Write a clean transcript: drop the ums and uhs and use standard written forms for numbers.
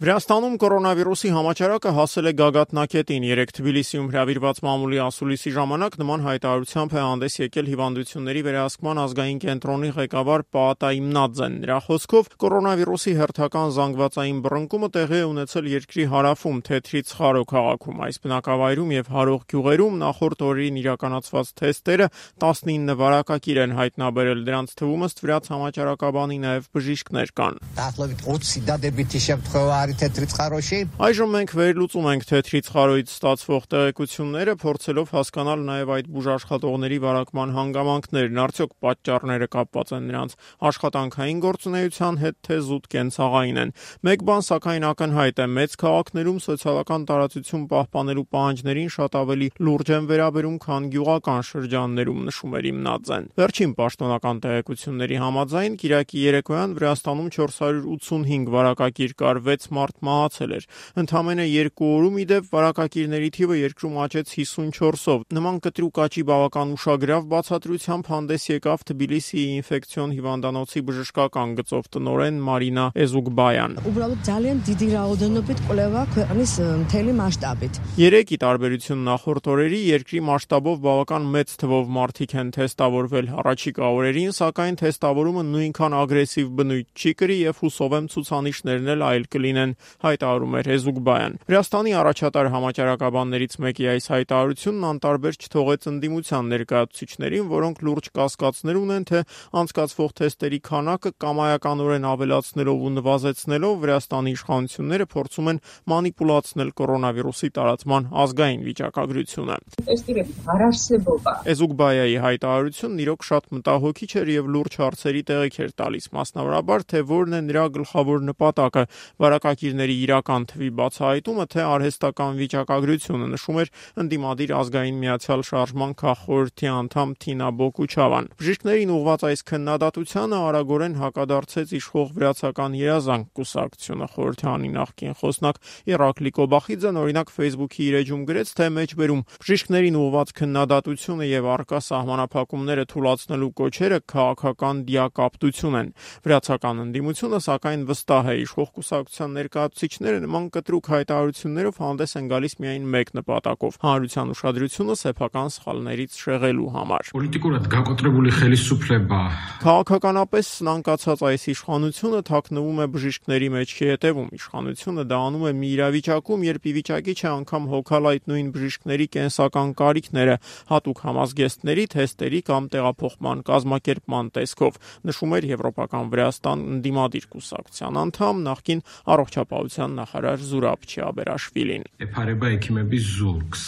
Վրաստանում կորոնավիրուսի համաճարակը հասել է գագաթնակետին։ Երեկ Թբիլիսիում հրավիրված մամուլի ասուլիսի ժամանակ նման հայտարարությամբ է հանդես եկել հիվանդությունների վերահսկման ազգային կենտրոնի ղեկավար Պաատա Իմնաձեն։ Նրա խոսքով կորոնավիրուսի հերթական զանգվածային բռնկումը տեղի է ունեցել երկրի հարավում Թեթրից Խարո քաղաքում։ Այս բնակավայրում եւ հարող գյուղերում նախորդ օրերին իրականացված թեստերը 19 վարակակիր են հայտնաբերել։ Դրանց թվում ըստ վրաց համաճարակաբանի նաեւ բժիշկներ կան։ Այժմ մենք վերլուծում ենք Թեթրից Խարոյից ստացվող տեղեկությունները, փորձելով հասկանալ նաև այդ բուժաշխատողների վարակման հանգամանքներն, արդյոք պատճառները կապված են նրանց աշխատանքային գործունեության հետ, թե զուտ կենցաղային են։ Մեկ բան սակայն ակնհայտ է, մեծ քաղաքներում սոցիալական տարածություն պահպանելու պահանջներին շատ ավելի լուրջ են վերաբերում, քան գյուղական շրջաններում, նշում էր Իմնաձեն։ Վերջին պաշտոնական տեղեկությունների համաձայն կիրակի երեկոյան Վրաստանում 485 վարակակիր կար, 6 մարդ մահացել էր։ Ընդամենը 2 օրում ի դեպ վարակակիրների թիվը երկրում աճեց 54-ով։ Նման կտրուկ աճի բավական ուշագրավ բացատրությամբ հանդես եկավ Թբիլիսիի ինֆեկցիոն հիվանդանոցի բժշկական գծով տնօրեն Մարինա Էզուգբայան։ Ուბრալոդ ძალიან დიდი რაოდენობით կլեվա ქვეყნის მთელი մասշտաբით։ Երեկ ի տարբերություն նախորդ օրերի երկրի մասշտաբով բավական մեծ թվով մարդիկ են թեստավորվել առաջիկա օրերին, սակայն թեստավորումը նույնքան ագրեսիվ բնույթ չի կրի եւ հուսով եմ ցուցանիշներն էլ այլ կլինեն, հայտարարում էր Էզուգբայան։ Վրաստանի առաջատար համաճարակաբաններից մեկի այս հայտարարությունն անտարբեր չթողեց ընդդիմության ներկայացուցիչներին, որոնք լուրջ կասկածներ ունեն, թե անցկացվող թեստերի քանակը կամայականորեն ավելացնելով ու նվազեցնելով Վրաստանի իշխանությունները փորձում են մանիպուլացնել կորոնավիրուսի տարածման ազգային վիճակագրությունը։ Էզուգբայայի հայտարարությունն իրոք շատ մտահոգիչ էր եւ լուրջ հարցերի տեղիք էր տալիս, մասնավորաբար թե որն է նրա գլխավոր նպատակը՝ վարակակիրների իրական թվի բացահայտումը, թե արհեստական վիճակագրությունը, նշում էր ընդդիմադիր ազգային միացյալ շարժման քաղխորհրդի անդամ Թինա Բոկուչավան։ Բժիշկներին ուղղված այս քննադատությանը արագորեն հակադարձեց իշխող վրացական երազանք կուսակցությունը։ Խորհրդանի նախկին խոսնակ Իռակլի Կոբախիձեն օրինակ Facebook-ի իր էջում գրեց, թե մեջբերում բժիշկներին ուղղված քննադատությունը եւ առկա սահմանափակումները թույլատնելու կոչերը քաղաքական դիակապտություն են։ Վրացական ընդդիմությունը սակայն վստահ է, իշխող կուսակցության ներկայացուցիչները նման կտրուկ հայտարարություններով հանդես են գալիս միայն մեկ նպատակով՝ հանրության ուշադրությունը սեփական սխալներից շեղելու համար։ Պոլիտիկურად գակոտրებული խելիսუფլება։ Քաղաքականապես սնանկացած այս իշխանությունը թաքնվում է բժիշկների մեջքի հետևում։ Իշխանությունը դա անում է մի իրավիճակում, երբ ի վիճակի չէ անգամ հոգալ այդ նույն բժիշկների կենսական կարիքները հատուկ համազգեստների, թեստերի կամ տեղափոխման կազմակերպման տեսքով, նշում էր Եվրոպական Վրաստան ընդդիմադիր կուսակցության անդամ նախկին առողջապահության նախարար Զուրաբ Չիաբերաշվիլին։ Էփարեբա էքիմեբի զուրքս